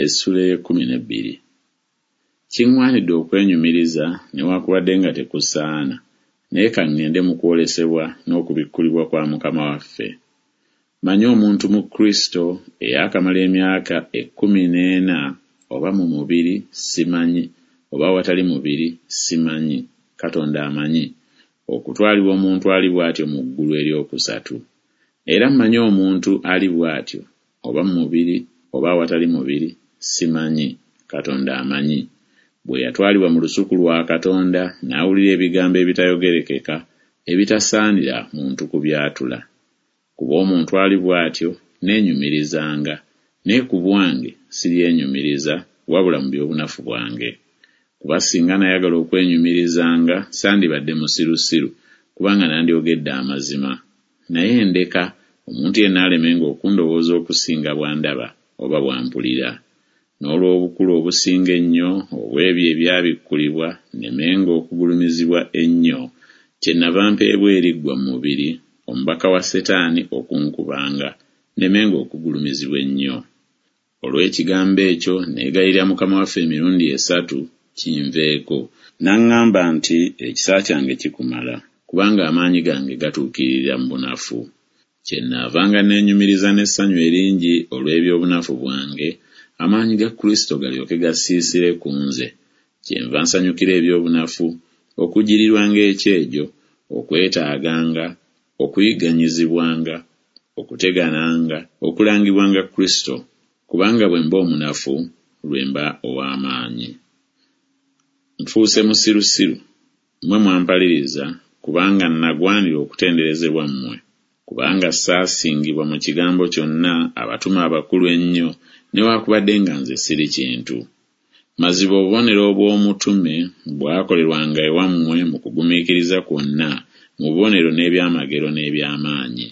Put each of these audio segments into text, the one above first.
Essula ey'ekkumi n'ebbiri. Kiŋŋwanidde okwenyumiriza, newakubadde nga tekusaana, naye ka ŋŋende mu kwolesebwa n'okubikkulibwa kwa Mukama waffe. Mmanyi omuntu mu Kristo eyaakamala emyaka 14, oba mu mubiri, simanyi, oba awatali mubiri, simanyi, Katonda amanyi, okutwalibwa omuntu ali bw'atyo mu ggulu ery'okusatu. Era mmanyi omuntu ali bw'atyo, oba mu mubiri oba awatali mubiri, simanyi, Katonda amanyi, bwe yatwalibwa mu lusuku lwa Katonda n'awulira ebigambo ebitayogerekeka, ebitasaanira muntu kubyatula. Ku bw'omuntu ali bw'atyo neenyumirizanga, naye ku bwange siryenyumiriza, wabula mu by'obunafu bwange. Kuba singa nayagala okwenyumirizanga, sandibadde musirusiru, kubanga nandyogedde amazima. Naye ndeka, omuntu yenna alemenga okundowooza okusinga bw'andaba oba bw'ampulira. N'olw'obukulu obusinga ennyo obw'ebyo ebyabikkulibwa nnemenga okugulumizibwa ennyo, kyennava mpeebwa eriggwa mu mubiri, omubaka wa Setaani okunkubanga, nnemenga okugulumizibwa ennyo. Olw'ekigambo ekyo neegayirira Mukama waffe emirundi esatu, kinveeko. N'aŋŋamba nti Ekisa kyange kikumala, kubanga amaanyi gange gatuukiririra mu bunafu. Kyennaavanga neenyumiriza n'essanyu eringi olw'eby'obunafu bwange, amaanyi ga Kristo galyoke gasiisire ku nze. Kyenva nsanyukira eby'obunafu, okugyirirwanga ekyejo, okwetaaganga, okuyigganyizibwanga, okutegananga, okulangibwanga Kristo, kubanga bwe mba omunafu, lwe mba ow'amaanyi. Nfuuse musirusiru, mmwe mwampaliriza, kubanga nagwanira okutenderezebwa mmwe. Kubanga saasingibwa mu kigambo kyonna abatume abakulu ennyo, newakubadde nga nze siri kintu. Mazima obubonero obw'omutume bwakolerwanga ewammwe mu kugumiikiriza kwonna, mu bubonero n'ebyamagero n'eby'amaanyi.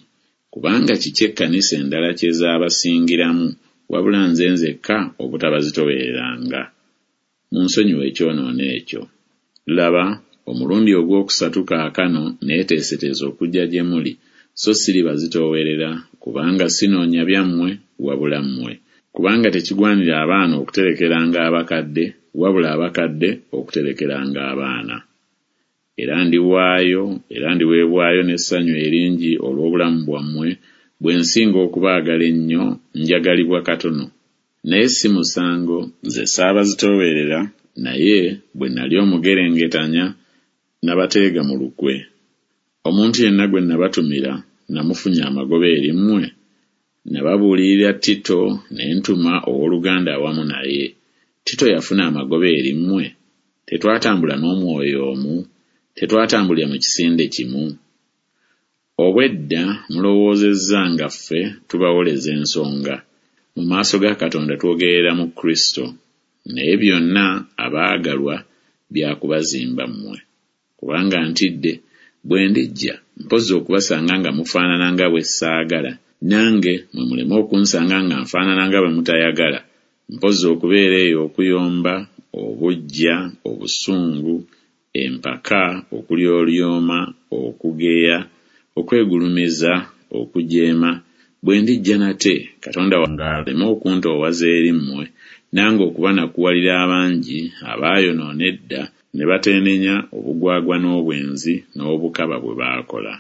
Kubanga kiki ekkanisa endala kye zaabasingiramu, wabula nze nzekka obutabazitoowereranga? Munsonyiwe ekyonoono ekyo. Laba, omulundi ogwokusatu kaakano neeteeseteese okujja gye muli, so siribazitoowerera, kubanga sinoonya byammwe, wabula mmwe. Kubanga tekigwanira abaana okuterekeranga abakadde, wabula abakadde okuterekeranga abaana. Era ndiwaayo, era ndiweebwayo n'essanyu eringi olw'obulamu bwammwe, bwe nsinga okubaagala ennyo, njagalibwa katono? Naye si musango, nze saabazitoowerera, naye bwe nali omugerengetanya, nabateega mu lukwe. Omuntu yenna gwe nabatumira, namufunya amagoba eri mmwe? Nababuulirira Tito, ne ntuma ow'oluganda awamu naye. Tito yafuna amagoba eri mmwe? Tetwatambula n'omwoyo omu? Tetwatambulira mu kisinde kimu? Obwedda mulowoozezza nga ffe tubawoleza ensonga. Mu maaso ga Katonda twogerera mu Kristo. Naye byonna, abaagalwa, bya kubazimba mmwe. Kubanga ntidde, bwe ndijja, mpozzi okubasanga nga mufaanana nga bwe ssaagala, nange mmwe muleme okunsanga nga nfaanana nga bwe mutayagala, mpozzi okubeera eyo okuyomba, obuggya, obusungu, empaka, okulyolyoma, okugeya, okwegulumiza, okujeema, bwe ndijja nate, Katonda wange aleme okuntoowaza eri mmwe, nange okubanakuwalira abangi abaayonoona edda ne bateenenya obugwagwa n'obwenzi n'obukaba bwe baakola.